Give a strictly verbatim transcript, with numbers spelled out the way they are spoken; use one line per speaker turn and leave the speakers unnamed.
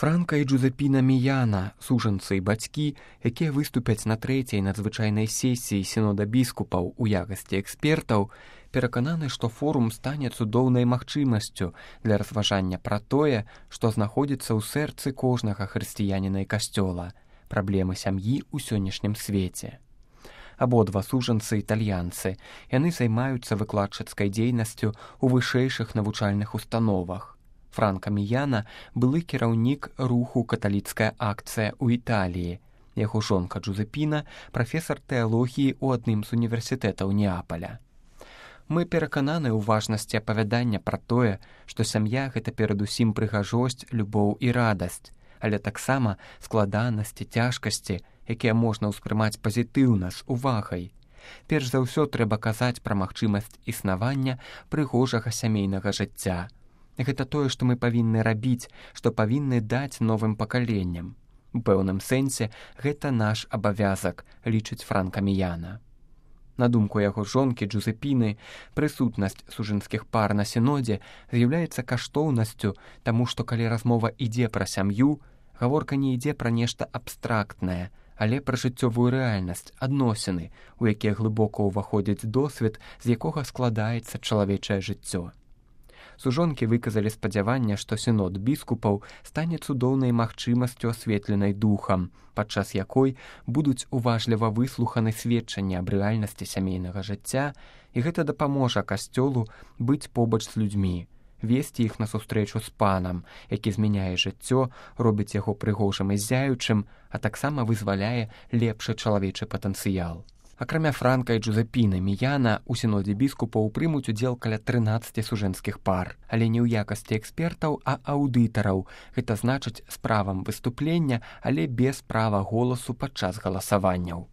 Франка і Джузепіна Міяна, сужанцы і бацькі, якія выступяць на трэцяй надзвычайнай сесіі сінода біскупаў у якасці экспертаў, перакананы, што форум стане цудоўнай магчымасцю для разважання пра тое, што знаходзіцца ў сэрцы кожнага хрысціяніна і касцёла, праблемы сям'і ў сённяшнім свеце. Абодва сужанцы італьянцы, яны займаюцца выкладчыцкай дзейнасцю ў вышэйшых навучальных установах. Франка Міяна былы кіраўнік руху «Каталіцкая акцыя» ў Італіі. Яго жонка Джузепіна – прафесар тэалогіі ў адным з універсітэтаў Неапаля. Мы перакананы ў важнасці апавядання пра тое, што сям'я – гэта перадусім прыгажосць, любоў і радасць, але таксама складанасці, цяжкасці, якія можна ўспрымаць пазітыўна, з увагай. Перш за ўсё трэба казаць пра магчымасць існавання прыгожага сямейнага жыцця. Гэта тое, што мы павінны рабіць, што павінны даць новым пакаленням. У пэўным сэнсе гэта наш абавязак, лічыць Франка Міяна. На думку яго жонкі Джузепіны, прысутнасць сужанскіх пар на сінодзе з'яўляецца каштоўнасцю, таму што калі размова ідзе пра сям'ю, гаворка не ідзе пра нешта абстрактнае, але пра жыццёвую рэальнасць, адносіны, у якія глыбока ўваходзіць досвед, з якога складаецца чалавечае жыццё. Сужонкі выказалі спадзяванне, што сінод біскупаў стане цудоўнай магчымасцю асветленай духам, падчас якой будуць уважліва выслуханы сведчанні аб рэальнасці сямейнага жыцця, і гэта дапаможа касцёлу быць побач з людзьмі, весці іх на сустрэчу з панам, які змяняе жыццё, робіць яго прыгожым і ззяючым, а таксама вызваляе лепшы чалавечы патэнцыял. Акрамя Франка і Джузепіны Міяна, у сінодзе біскупаў прымуць удзел каля трынаццаці сужэнскіх пар, але не ў якасці экспертаў, а аўдытараў, гэта значыць з правам выступлення, але без права голасу падчас галасаванняў.